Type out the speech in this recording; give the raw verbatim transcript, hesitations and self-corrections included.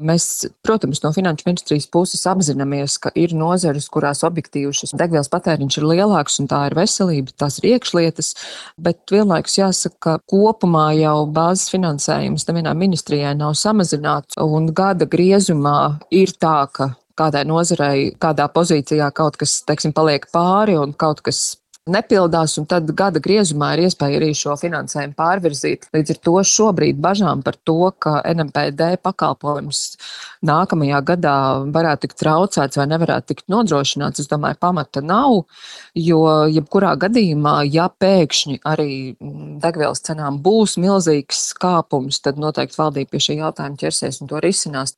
Mēs, protams, no Finanšu ministrijas puses apzināmies, ka ir nozares, kurās objektīvi šis degvielas patēriņš ir lielāks, un tā ir veselība, tās ir iekšlietas, bet vienlaikus jāsaka, ka kopumā jau bāzes finansējums nevienā ministrijai nav samazināts, un gada griezumā ir tā, ka kādai nozarei, kādā pozīcijā kaut kas, teiksim, paliek pāri un kaut kas nepildās, un tad gada griezumā ir iespēja arī šo finansējumu pārvirzīt. Līdz ar to šobrīd bažām par to, ka N M P D pakalpojums nākamajā gadā varētu tikt traucēts vai nevarētu tikt nodrošināts, es domāju, pamata nav, jo jebkurā gadījumā, ja pēkšņi arī degvielas cenām būs milzīgs kāpums, tad noteikti valdība pie šī jautājuma ķersies un to risinās.